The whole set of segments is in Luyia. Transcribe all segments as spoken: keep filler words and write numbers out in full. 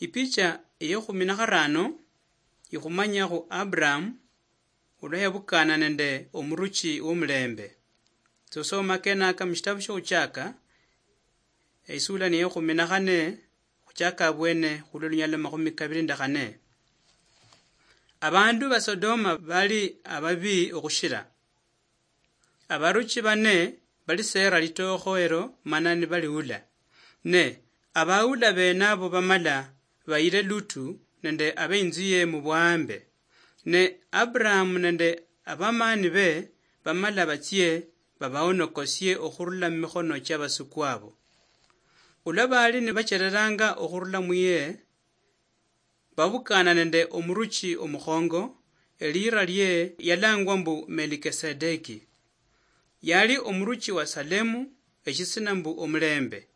Ipicha eyekhumi na kharano ikhumanyakhu Abraham olwa yabukana nende omuruchi womulembe. Tsosoma kenaka mushitabu shiokhutshaka, eisula niyekhumi na khane, khuchaka abwene khulwa lunyalo makhumi kabili nende khane. Abandu ba Sodoma bali ababi okhushira. Abaruchi bane balisera litookho elo mana nibaliula. Ne abaula bene abo bamala bayile Lutu nende abeinzu ye mubwambe. Ne Abrahamu nende abamani be bamala batsie babaonokosie okhurula mumikhono chiabasuku abo. Olwa bali nibachereranga okhurula muye, babukana nende omuruchi omukhongo, eliira lie yalangwa mbu Melikisedeki. Yali omuruchi wa Salemu, eshisina mbu omulembe.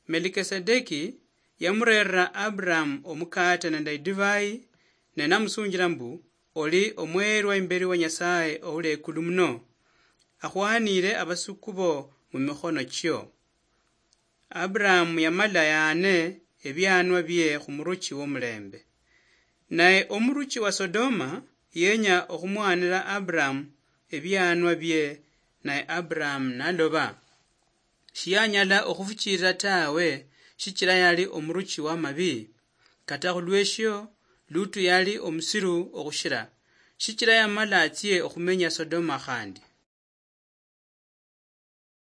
Melikisedeki yamurerera Abraham omukate nende idivai, ne namusunjila mbu, "Oli omweerwa imbeli wa Nyasaye ouli ekulu muno, akhwanire abasuku bo mumikhono chio." Abraham yamala yaane ebianwa bie khumuruchi womulembe. Naye omuruchi wa Sodoma yenya okhumwanira Abraham ebianwa bie, naye Abraham naloba. Shiyanyala okhufuchirira tawe, shichira yali omuruchi wamabi. Kata khulweshio, Lutu yali omusiru okhushira, shichira yamala atsie okhumenya Sodoma khandi.